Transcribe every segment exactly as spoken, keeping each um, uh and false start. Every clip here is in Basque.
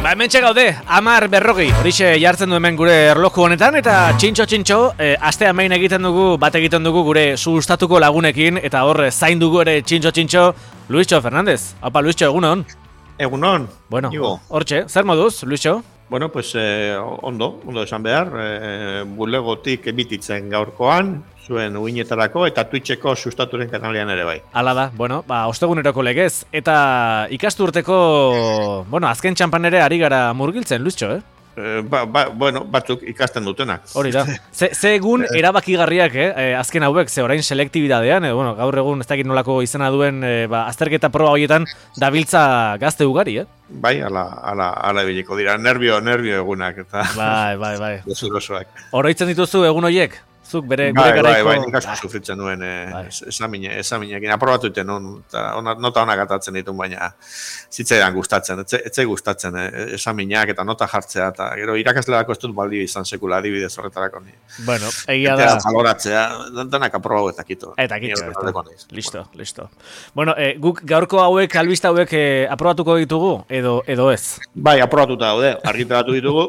Ba, hementxe gaude, amar berrogi, horixe jartzen du hemen gure erloju honetan, eta txintxo-txintxo, e, astea main egiten dugu, bat egiten dugu gure sustatuko lagunekin, eta hor zain dugu ere txintxo-txintxo, Luisxo Fernandez. Haupa, Luisxo, egunon? Egunon, bueno, hortxe, zer moduz, Luisxo? Bueno, pues eh, ondo, ondo esan behar, eh, bulegotik ebititzen gaurkoan, zuen uinetarako eta Twitcheko sustaturen kanalean ere bai. Hala da, bueno, ba, osteguneroko legez, eta ikasturteko, bueno, azken txampan ere ari gara murgiltzen, Luisxo, eh? Eh, ba, ba, bueno, batzuk ikasten dutenak. Hori da. Ze, ze egun erabakigarriak, eh? Azken hauek, ze orain selektibidadean, eh? Bueno, gaur egun ez dakit nolako izena duen, eh, ba, azterketa proba horietan dabiltza gazte ugari, eh? Bai, ala, ala, ala ebiliko dira, nervio, nervio egunak, eta... Bai, bai, bai. Desurosoak. Oroitzen dituzu egun horiek? Zuk bere bai, gure garaiko... Bai, bai, nik asko sufritzen nuen eh, bai. esamine, esaminekin. Aprobatu iten nun, eta nota honak atatzen ditun, baina zitzaidan gustatzen, etze, etze gustatzen eh, esamineak eta nota jartzea, eta gero irakasleako ez dut baldi izan sekula adibidez horretarako ni. Bueno, egia da. Eta baloratzea, denak aprobau eta kito. Eta kito, listo, bueno. listo. Bueno, eh, guk gaurko hauek, albista hauek eh, aprobatuko ditugu, edo, edo ez? Bai, aprobatuta daude, argitaratu ditugu.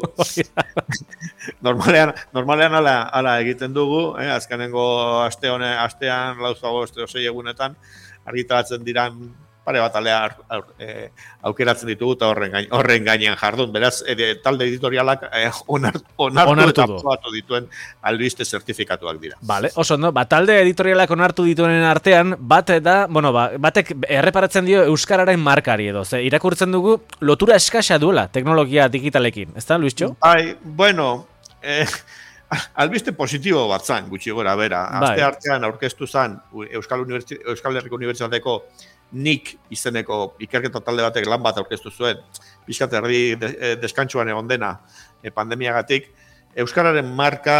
normalean, normalean ala, ala egiten du. Eh, azkenengo aste hone, astean lauzago este osei egunetan argitaratzen diran pare bat alea eh, aukeratzen ditugu eta horren, gain, horren gainean jardun. Beraz, eh, talde editorialak eh, onartu, onartu eta aprobatu dituen albiste zertifikatuak dira. Vale, oso, no? Ba, talde editorialak onartu dituen artean, bat da, bueno, ba, batek erreparatzen dio euskararen markari edo. Ze, irakurtzen dugu lotura eskasa duela teknologia digitalekin. Ez da, Luisxo? Bai, bueno... Eh, albiste positibo bat zan, gutxi gora bera. Aste artean aurkeztu zan Euskal, Universi- Euskal Herriko Unibertsitateko nik izeneko ikerketa talde batek lan bat aurkeztu zuen, pixkat erdi deskantsuan egon dena e, pandemiagatik, Euskararen marka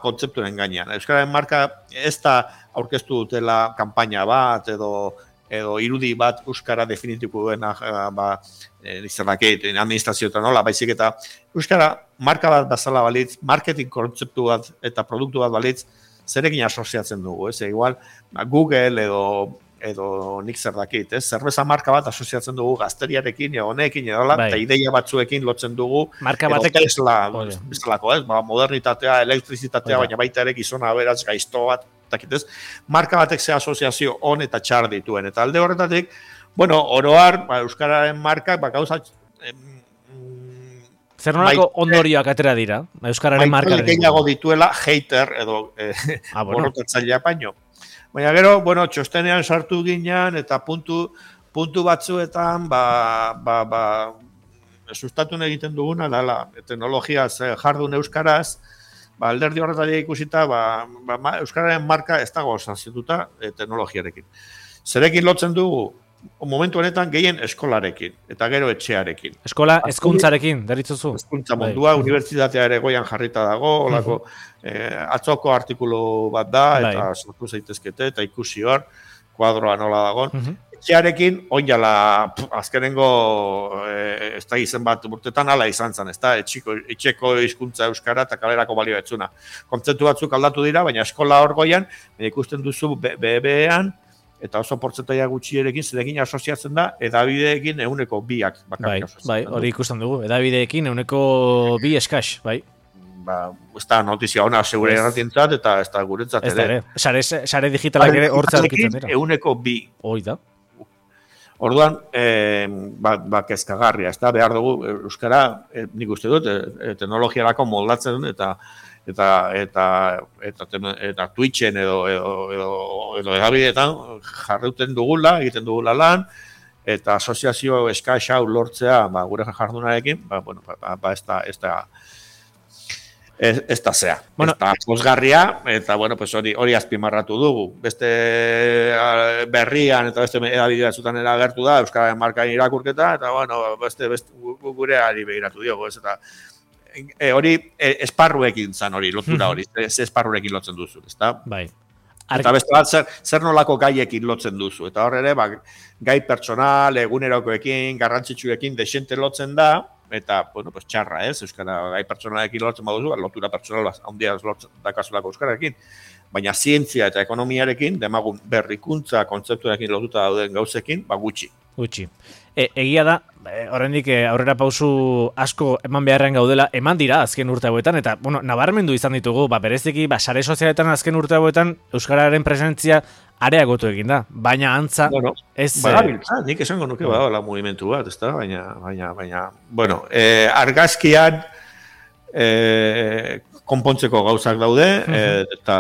kontzeptuaren gainean. Euskararen marka ez da aurkeztu dutela kanpaina bat edo edo irudi bat euskara definitibo duena ba, izanakit, administrazioetan nola, baizik eta euskara marka bat bazala balitz, marketing kontzeptu bat eta produktu bat balitz, zerekin asoziatzen dugu, ez? Igual, Google edo edo nik zer dakit, ez? Zerbeza marka bat asoziatzen dugu gazteriarekin, edo honekin, edo bai. Eta ideia batzuekin lotzen dugu, marka edo batek... Tesla, bezalako, ez? Ba, modernitatea, elektrizitatea, baina baita ere gizona beraz gaizto bat, ez? Marka batek ze asoziazio on eta txar dituen. Eta alde horretatik, bueno, oroar, ba, euskararen markak, ba, gauza... Em, zer nolako ondorioak atera dira, euskararen markak? Baita gehiago dituela hater edo eh, ah, bueno. borrotatzailea paino. Baina gero, bueno, txostenean sartu ginean eta puntu, puntu batzuetan, ba, ba, ba, sustatu egiten duguna, dala, teknologiaz jardun euskaraz, ba, alderdi horretatik ikusita, ba, ba, euskararen marka ez dago sanzituta e, teknologiarekin. Zerekin lotzen dugu, momentu honetan gehien eskolarekin, eta gero etxearekin. Eskola hezkuntzarekin, deritzuzu? Hezkuntza mundua, bai. Unibertsitatea ere goian jarrita dago, olako, uh-huh. eh, atzoko artikulu bat da, eta bai. Sortu zaitezkete, eta ikusi hor, kuadroa nola dago. Uh-huh. Etxearekin, oinala, azkenengo, eh, ez da izen bat urtetan, ala izan zen, ez da, etxiko, etxeko hizkuntza euskara eta kalerako balio etzuna. Kontzeptu batzuk aldatu dira, baina eskola hor goian, ikusten duzu B B B-ean, eta oso portzentaia gutxierekin zerekin asoziatzen da, edabideekin euneko biak bakarrik asoziatzen. Bai, hori ikusten dugu, edabideekin euneko bi eskaz, bai. Ba, ez da notizia ona segure erratientzat, eta ez da guretzat ere. Sare, sare digitalak ere hortza aurkitzen dira. Euneko bi. Hoi da. Orduan, eh, ba, ba kezkagarria, ez da, behar dugu, euskara, eh, nik uste dut, eh, teknologiarako moldatzen, eta eta eta eta eta, eta Twitchen edo edo edo edo edabideetan jarrauten dugula, egiten dugula lan, eta asoziazio eskasa lortzea, ba, gure jardunarekin, ba, bueno, ba, ba ez da ez da ez, ez da zea. Bueno, ez da pozgarria, eta bueno, pues hori hori azpimarratu dugu. Beste berrian eta beste edabide batzuetan agertu da euskararen markaren irakurketa, eta bueno, beste beste gureari begiratu diogu, ez eta E, hori e, esparruekin zan hori, lotura hori, ze esparruekin lotzen duzu, ezta? Bai. Eta beste bat, zer, zer nolako gaiekin lotzen duzu. Eta hor ere, ba, gai pertsonal, egunerokoekin, garrantzitsuekin desente lotzen da, eta, bueno, pues txarra, ez? Euskara gai pertsonalekin lotzen baduzu, ba, lotura pertsonal handia lotzen dakazulako euskararekin. Baina zientzia eta ekonomiarekin, demagun berrikuntza kontzeptuarekin lotuta dauden gauzekin, ba gutxi. Gutxi. E, egia da, e, oraindik e, aurrera pausu asko eman beharrean gaudela, eman dira azken urte hauetan, eta, bueno, nabarmendu izan ditugu, ba, bereziki, ba, sare sozialetan azken urte hauetan, euskararen presentzia areagotu egin da, baina antza, bueno, ez... badabiltza, nik esango nuke badagoela mugimendu bat, ez da, baina, baina, baina, bueno, eh, argazkian, eh, konpontzeko gauzak daude, uh-huh. e, eta,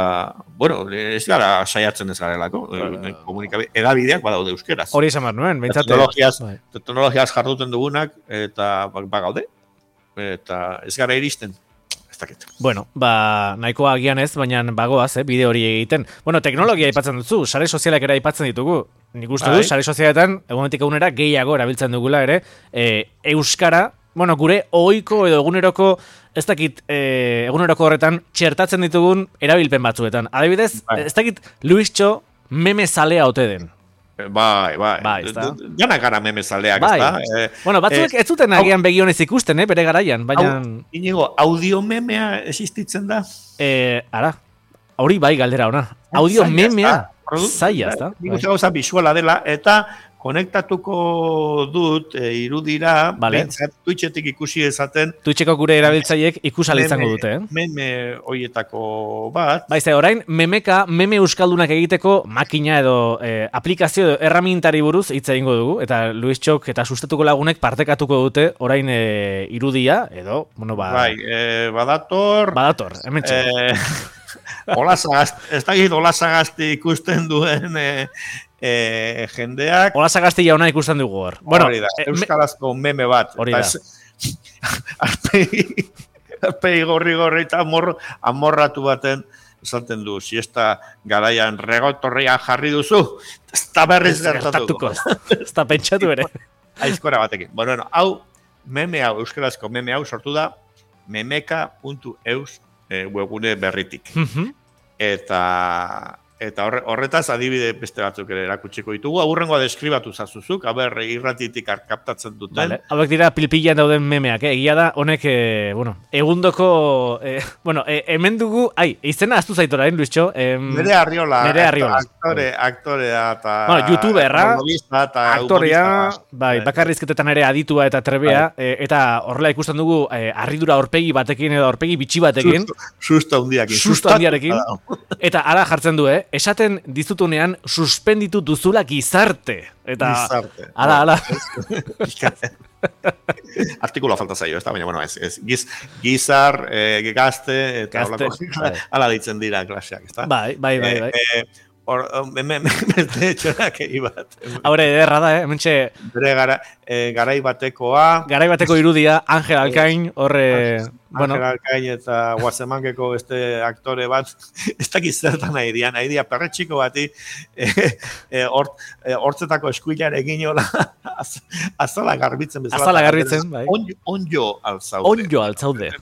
bueno, ez gara saiatzen ez garelako, uh, komunikabe, edabideak badaude euskeraz. Hori esan behar nuen, behintzate. Teknologiaz, teknologiaz jarduten dugunak, eta bagaude, eta ez gara iristen. Ez dakit. Bueno, ba, nahikoa agian ez, baina bagoaz, eh, bide hori egiten. Bueno, teknologia aipatzen dutzu, sare sozialak ere aipatzen ditugu. Nik uste du, sare sozialetan, egunetik egunera, gehiago erabiltzen dugula ere, e, euskara, bueno, gure ohiko edo eguneroko, ez dakit, e, eguneroko horretan, txertatzen ditugun erabilpen batzuetan. Adibidez, bai. Ez dakit, Luistxo meme zalea ote den. Bai, bai. Bai, ez da. Gana gara meme zaleak, bai. Ez da. Eh, bueno, batzuk eh, ez zuten agian begionez ikusten, eh, bere garaian, baina... Inigo, audio memea existitzen da? Eh, ara, hori bai galdera ona. Audio memea, zaila, ez da. Nik uste gauza bisuala dela, eta konektatuko dut e, irudira, vale. Bentsat Twitchetik ikusi ezaten. Twitcheko gure erabiltzaiek ikusal izango dute, eh? Meme hoietako bat. Baize, orain, memeka, meme euskaldunak egiteko makina edo eh, aplikazio edo erramintari buruz hitz egingo dugu, eta Luis Txok eta sustatuko lagunek partekatuko dute orain eh, irudia, edo, bueno, ba... Bai, eh, badator... Badator, hemen txek. Eh, olazagazti, ez da git olazagazti ikusten duen... Eh, E, jendeak... Ola sagazti jauna ikusten dugu hor. Bueno, hori da, euskarazko meme bat. Hori da. Arpegi, arpegi gorri-gorri eta amor, amorratu baten esaten du, siesta garaian regotorria jarri duzu, ez da berriz gertatuko. Ez da pentsatu ere. Aizkora batekin. Bueno, bueno, hau, meme hau, euskarazko meme hau sortu da, memeka puntu eus e, webgune berritik. Eta... Eta horretaz adibide beste batzuk ere erakutsiko ditugu. Aurrengoa deskribatu zazuzuk, aber irratitik kaptatzen duten. Vale. Hauek dira pilpilan dauden memeak, eh? Egia da, honek, eh, bueno, egundoko, eh, bueno, eh, hemen dugu, ai, izena aztu zaitora, eh, Luistxo? Eh, Nere Arriola. Nere Arriola. Aktore, aktorea eta... Bueno, youtuberra, eta aktorea, bai, bakarrizketetan ere aditua eta trebea, eh, eta horrela ikusten dugu eh, harridura aurpegi batekin edo aurpegi bitxi batekin. Susto handiakin. Susto handiarekin. Eta ara jartzen du, eh? Esaten dizutunean suspenditu duzula gizarte. Eta, gizarte. Ala, ala. Artikuloa falta zaio, ez da, baina, bueno, ez, ez giz, gizar, eh, gazte, eta gazte, olako, ala ditzen dira klaseak, ez da? Bai, bai, bai, bai. Eh, eh, Hor, beste txonak egin bat. Haure, ederra da, eh? Hementxe... Bere gara, e, garai batekoa... Garai bateko irudia, Angel Alkain, horre... Angel bueno. Alkain eta Guazemankeko beste aktore bat, ez dakiz zertan nahi dian, nahi dia perretxiko bati, e, e, hort, e, hortzetako eskuilarekin hola, az, azala garbitzen bezala. Azala garbitzen, bai. Onjo, onjo altzaude. Onjo altzaude.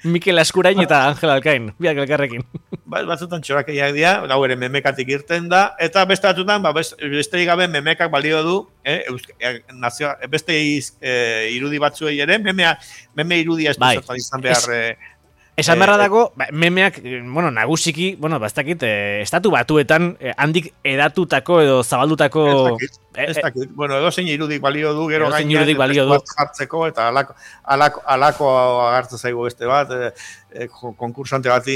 Mikel Askurain eta Angel Alkain, biak elkarrekin. Ba, batzutan txorakeiak dira, hau ere memekatik irten da, eta beste batzutan, ba, beste gabe memekak balio du, eh, eusk, eh, nazio, beste iz, eh, irudi batzuei ere, memea, meme irudia ez bai. Duzertan izan behar... Eh, Esan beharra dago, ba, memeak, bueno, nagusiki, bueno, bastakit, eh, estatu batuetan eh, handik edatutako edo zabaldutako... Ez dakit, ez dakit. Eh, bueno, edo zein irudik balio du, gero gainean, edo jartzeko, eta alako, alako, alako agartzen zaigu beste bat, eh, eh, konkursante bat,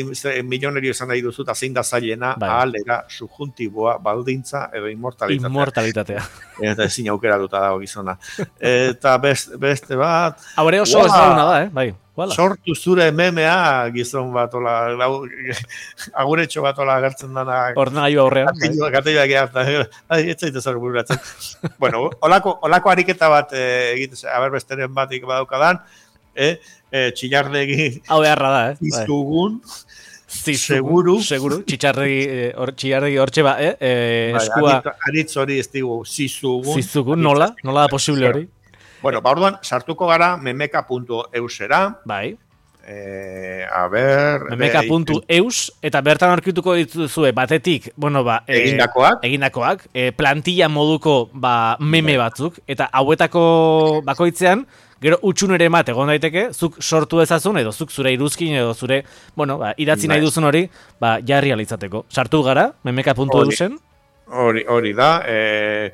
milionerio izan nahi duzu, eta zein da zailena, bai. Ahalera, subjuntiboa, baldintza, edo inmortalitatea. Inmortalitatea. Eta ezin aukera duta dago gizona. Eta beste, beste bat... Haure oso wow. ezaguna da, eh? Bai. Voilà. Sortu zure memea gizon bat, ola, aguretxo bat ola agertzen dana. Ordenagailu aurrean. Gateiak egartan, ez zaite zer bururatzen. Bueno, olako, olako ariketa bat eh, egitez, haber besteren batik badaukadan, eh, eh, txillardegi... Hau beharra da, eh? Iztugun, seguru. Seguru, txillardegi hortxe ba, eh? eh eskua... Aritz hori ez digu, zizugun. Zizugun, nola? Nola da posible hori? Bueno, ba, orduan, sartuko gara memeka puntu eusera. Bai. Eh, a ber... memeka puntu eus, eta bertan aurkituko dituzue batetik, bueno, ba... Eh, egindakoak. Egindakoak, eh, plantilla moduko, ba, meme batzuk, eta hauetako bakoitzean, gero utxunere mat egon daiteke, zuk sortu ezazun, edo zuk zure iruzkin, edo zure, bueno, ba, idatzi nahi duzun hori, ba, jarri alitzateko. Sartu gara, memeka puntu eusen. Hori, hori da, eh...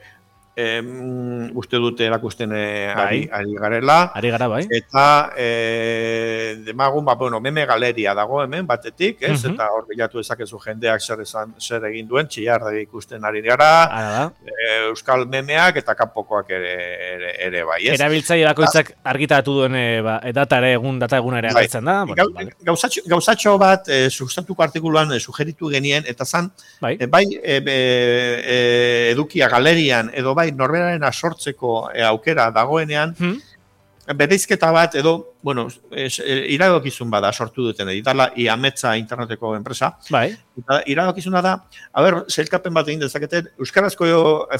em, uste dute erakusten eh, ari, ari garela. Ari gara, bai. Eta eh, demagun, ba, bueno, meme galeria dago hemen batetik, ez? Mhm. Eta hor bilatu ezakezu jendeak zer, esan, zer egin duen, txillarde ikusten ari gara, Ara eh, euskal memeak eta kanpokoak ere, ere, ere bai, ez? Erabiltzaile bakoitzak argitaratu duen e, ba, data ere egun data eguna ere Bai. agertzen da. Bueno, Gau, vale. gauzatxo, gauzatxo bat eh, sustatuko artikuluan eh, sugeritu genien, eta zan, Bai. eh, bai eh, be, eh, edukia galerian, edo bai norberaren asortzeko eh, aukera dagoenean, Hmm? bereizketa bat edo, bueno, es, eh, iradokizun bada sortu duten, editala Iametza interneteko enpresa, Bai. eta iradokizuna da, a ber, zeilkapen bat egin dezaketen, euskarazko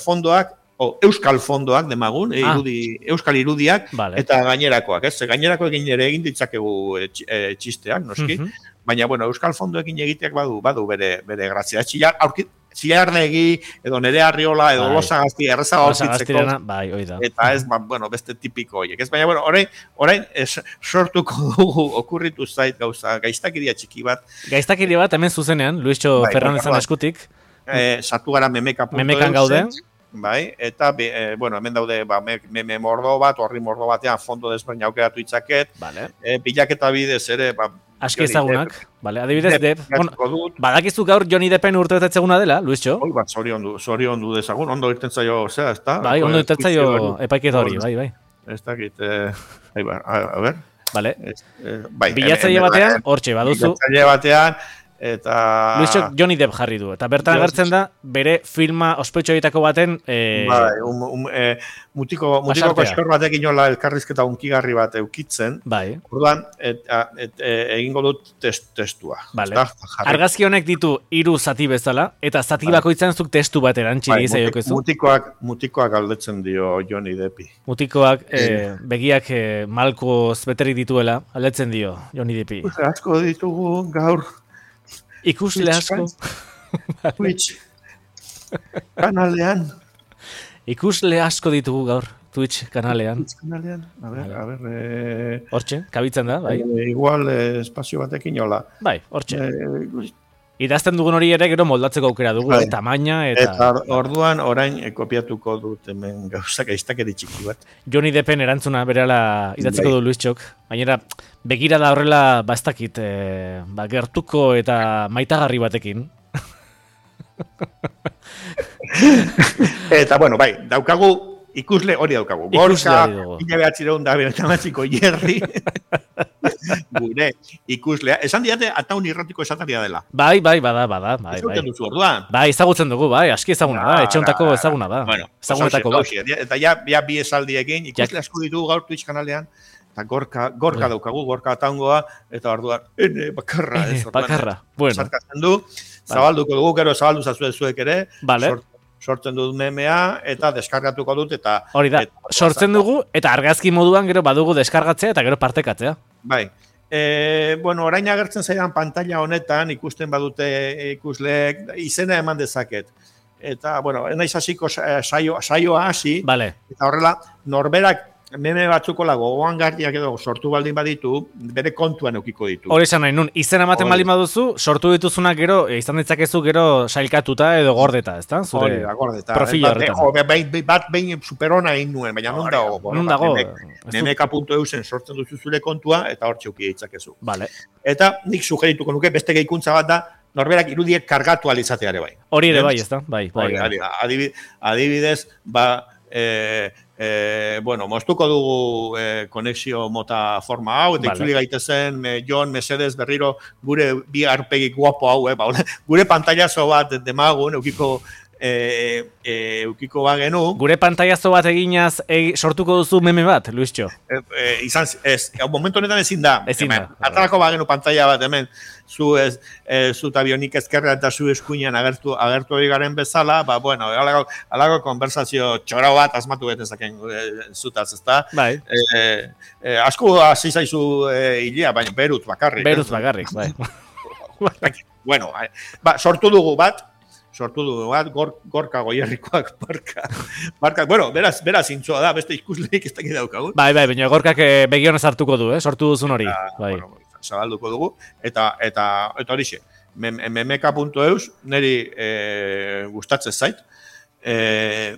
fondoak, o euskal fondoak demagun, Ah. irudi, euskal irudiak, Vale. eta gainerakoak, ez? Gainerakoekin ere egin ditzakegu e, e, txisteak, noski, Mhm. baina, bueno, euskal fondoekin egiteak badu, badu bere, bere grazia. Txillar, aurkit, Zillardegi, edo Nerea Arriola, edo Bai. Losa Gazti, erraza Osa aurkitzeko, gaztirena, bai, hoi da. eta ez, ba, bueno, beste tipiko horiek. Ez, baina, bueno, orain, orain es, sortuko dugu, okurritu zait gauza, gaiztakiria txiki bat, Gaiztakiri bat hemen zuzenean, Luisxo Bai, Fernandezan bai. eskutik, eh, sartu gara memeka. memekan gaude. Bai, eta, be, eh, bueno, hemen daude, ba, me- meme mordo bat, horri mordo batean, fondo desberdin aukeratu itzaket, Vale. eh, bilaketa bidez ere, ba, Aski Johnny ezagunak, vale, adibidez, Depp Depp. Bueno, bilatuko dut. badakizu gaur Johnny Deppen urtebetetzeguna dela, Luisxo? Hoi bat, zorion du, zorion du dezagun, ondo irten zaio, zera, ez da? Bai, ondo intertzaio epaiketa hori, bai, bai. Ez dakit, eh, ai, ba, a, a ber, Vale. ez, eh, bai. Bilatzaile hemen- batean, hemen- hortxe, baduzu, Bilatzaile batean, eta... Luisxok Johnny Depp jarri du. Eta bertan Johnny agertzen da, bere filma ospetxo horietako baten... Eh, Bai, um, um, eh, mutiko, mutiko Pasartea. koskor batek inola elkarrizketa unkigarri bat eukitzen, bai, orduan, et, a- et, e, egingo dut test, testua. Vale. ezta? Jarri. argazki honek ditu hiru zati bezala, eta zati Bai. bakoitzan zuk testu bat erantzi Bai, dizaiokezu. mutikoak, mutikoak galdetzen dio Johnny Deppi. Mutikoak, eh, begiak eh, malkoz beterik dituela, aldetzen dio, Johnny Deppi. Uste, asko ditugu gaur Ikusle Twitch, asko, Twitch kanalean. ikusle asko ditugu gaur, Twitch kanalean. Twitch kanalean. A ber, Vale. a ber, eh, Hortxe, kabitzen da, bai. eh, igual eh, espazio batekin hola. Bai, hortxe. Eh, Idazten dugun hori ere gero moldatzeko aukera dugu, Bai. eh, tamaina eta... eta orduan orain eh, kopiatuko dut hemen gauzak aiztakeri txiki bat. Johnny Deppen erantzuna berela idatziko Bai. du Luisxok. Baina begira da horrela bastakit, eh, ba, gertuko eta maitagarri batekin. Eta, bueno, bai, daukagu, ikusle hori daukagu. Ikusle Gorka, hori dugu. mila behatzireun da behatzireun Jerry, gure ikuslea. Esan diate, ataun irratiko esataria dela. Bai, bai, bada, bada, bai, bai. Ezagutzen duzu orduan. Bai, ezagutzen dugu, bai, aski ezaguna da, etxe hontako ezaguna da. Bueno, Ezagunetako bat. hauxe, hauxe. Eta ja, ja bi esaldiekin, ikusle asko ditugu gaur Twitch kanalean, eta gorka, gorka Bai. daukagu, gorka ataungoa, eta orduan, ene, bakarra. Ez, orduan, Bakarra, bueno. sarkatzen du, zabalduko dugu, gero zabaldu zazue zuek ere, Vale. sort- sortzen dut memea, eta deskargatuko dut, eta... Hori da, eta- sortzen dugu, eta argazki moduan gero badugu deskargatzea eta gero partekatzea. Bai. E, bueno, orain agertzen zaidan pantalla honetan, ikusten badute ikusleek, izena eman dezaket. Eta, bueno, naiz hasiko sa- saio, saioa hasi, Vale, eta horrela, norberak meme batzukola gogoangarriak edo sortu baldin baditu, bere kontuan eukiko ditu. hori esan nahi nun, izena ematen Hori. baldin baduzu, sortu dituzunak gero, eh, izan ditzakezu gero sailkatuta edo gordeta, ezta? Hori Zure da, gordeta. profil Bat- horretan. jo, bat, behin- bat behin superona egin nuen, baina non Hori, dago? non dago? Memek- Ez dut- memeka puntu eusen sortzen duzu zure kontua, eta hor txuki ditzakezu. Vale. Eta nik sugerituko nuke beste gehikuntza bat da, norberak irudiek kargatu alizateare bai. Hori ere Ez? bai, ezta? Bai, bai. Hori, bai. hori, adibi- adibidez, ba, e, e, bueno, moztuko dugu e, konexio mota forma hau, eta Vale. itzuli gaitezen, e, Jon, Mesedes, berriro, gure bi arpegi guapo hau, eh, ba, hola, gure pantailazo bat demagun, eukiko, e, e, eukiko bagenu, Gure pantailazo bat eginaz egi, sortuko duzu meme bat, Luisxo. e, e, izan, ez, momentu honetan ezin da, Ezin hemen, da. atarako bagenu pantalla bat hemen, zu ez, e, zu tabionik ezkerra eta zu eskuinan agertu, agertu hori garen bezala, ba, bueno, alago, alago konversazio txoro bat asmatu betezaken e, zutaz, ezta? Bai, E, e, asko hasi zaizu e, hilea, baina berut bakarrik. beruz ez? bakarrik, bai. Bueno, eh, ba, sortu dugu bat, sortu dugu bat, gor, gorka goierrikoak barka. Barka, bueno, beraz, beraz intzoa da, beste ikusleik ez dakit daukagu. Bai, bai, baina gorkak eh, begionez hartuko du, eh? Sortu duzun hori. Bai. Bueno, zabalduko dugu, eta eta eta horixe, mem, memeka puntu eus, niri e, gustatzen zait. E,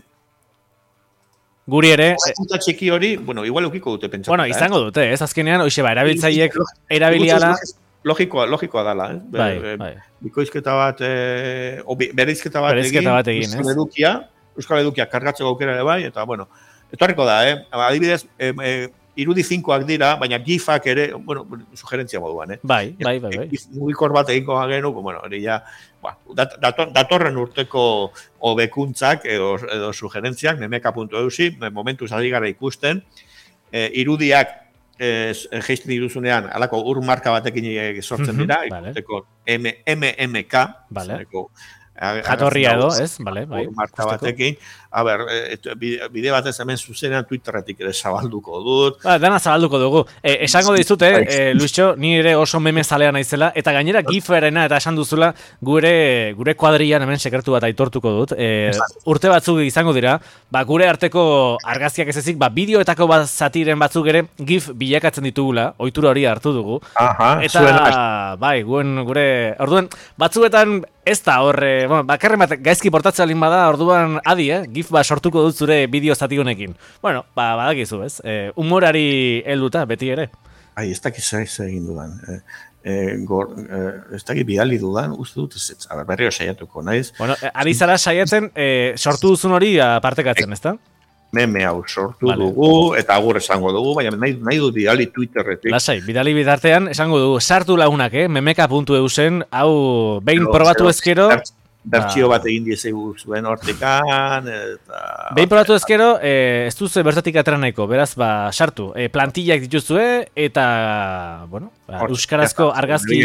Guri ere... Eta txiki hori, bueno, igual ukiko dute pentsatu. Bueno, izango dute, ez azkenean, hoxe ba, erabiltzaiek erabiliala... Logikoa, logikoa dala, eh? Bai, bai. Bikoizketa bat, eh, bereizketa bat egin, bat egin, Euskal Edukia, Euskal Edukia kargatzeko aukera ere bai, eta, bueno, etorriko da, eh? Adibidez, eh, eh, irudi finkoak dira, baina gifak ere, bueno, sugerentzia moduan, eh? Bai, bai, bai, bai. Mugikor bat eginko gagenu, bueno, hori ja, ba, dator, datorren urteko hobekuntzak edo, edo sugerentziak, memeka puntu eusi, momentuz ari gara ikusten, eh, irudiak geizten diruzunean, alako ur marka batekin sortzen dira, ikusteko M M K, jatorria edo, ez? Vale, bai. Ur marka batekin, a ber, bide batez hemen zuzenean Twitterretik ere zabalduko dut. Ba, dana zabalduko dugu. E, esango dizute, e, Luisxo, ni ere oso meme zalea naizela, eta gainera giferena eta esan duzula, gure gure kuadrian hemen sekretu bat aitortuko dut. E, urte batzuk izango dira, ba, gure arteko argazkiak ez ezik, ba, bideoetako bat zatiren batzuk ere gif bilakatzen ditugula, ohitura hori hartu dugu. Aha, eta, bai, guen, gure, orduan, batzuetan ez da horre, bueno, bakarren bat gaizki portatzea lin bada, orduan adi, eh? Gif ba sortuko dut zure bideo zati honekin. Bueno, ba, badakizu, ez? E, humorari helduta, beti ere. Ai, ez dakit zer egin dudan. E, e, gor, e, ez dakit bidali dudan, uste dut, ez, ez, berriro saiatuko, naiz? Bueno, ari zara saiatzen, e, sortu duzun hori partekatzen, ezta? Meme hau sortu vale. dugu, eta agur esango dugu, baina nahi, nahi dut bidali Twitterretik. Lasai, bidali bidartean esango dugu, sartu lagunak, eh? memeka puntu eu zen, hau behin no, probatu ezkero... Bertxio bat egin diezegu zuen hortikan, eta... Behin probatu ezkero, eh, ez duzu bertatik atera nahiko, beraz, ba, sartu. Eh, plantillak dituzue, eta, bueno, ba, euskarazko argazki...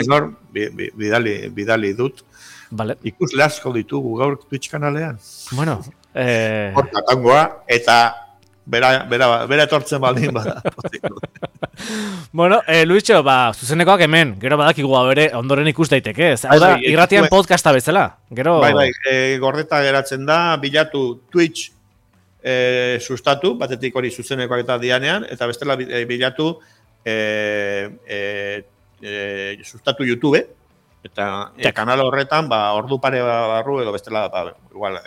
Bidali, bidali dut. Vale. Ikusle asko ditugu gaur Twitch kanalean. Bueno, eh... Hortatangoa, eta bera, bera, bera etortzen baldin bada. Bueno, eh, Luisxo, ba, zuzenekoak hemen, gero badakigu bere ondoren ikus daiteke, ez? Hau da, irratian podcasta bezala, gero... Bai, bai, e, gordeta geratzen da, bilatu Twitch e, sustatu, batetik hori zuzenekoak eta dianean, eta bestela e, bilatu e, e, e, sustatu YouTube, eta e, kanal horretan, ba, ordu pare barru edo bestela, ba, igual...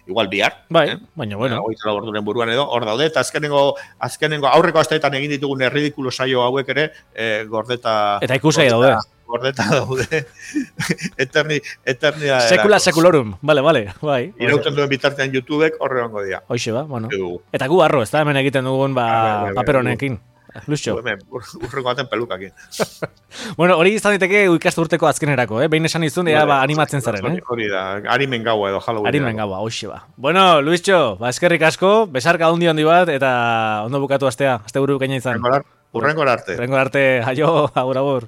igual bihar. Bai, eh? Baina, bueno. Hogeita orduren buruan edo, hor daude, eta azkenengo, azkenengo aurreko asteetan egin ditugun erridikulo saio hauek ere, eh, gordeta... Eta ikusai daude. Gordeta daude. Eterni, eternia... Sekula sekulorum, bale, bale, bai. Irauten duen bitartean YouTubek horre hongo dira. Hoxe ba, bueno. Eta gu arro, ez da hemen egiten dugun, ba, paper honekin. Luisxo. Urrengo baten pelukakin. Bueno, hori izan diteke ikastu urteko azkenerako, eh? Behin esan izun, ea ba, animatzen zaren, eh? Hori da, harimen gaua edo Halloween. Harimen gaua, hoxe ba. Bueno, Luisxo, ba, eskerrik asko, besarka handi handi bat, eta ondo bukatu astea, aste buru bikaina izan. Urrengo arte. Urrengo arte, aio, agur, agur.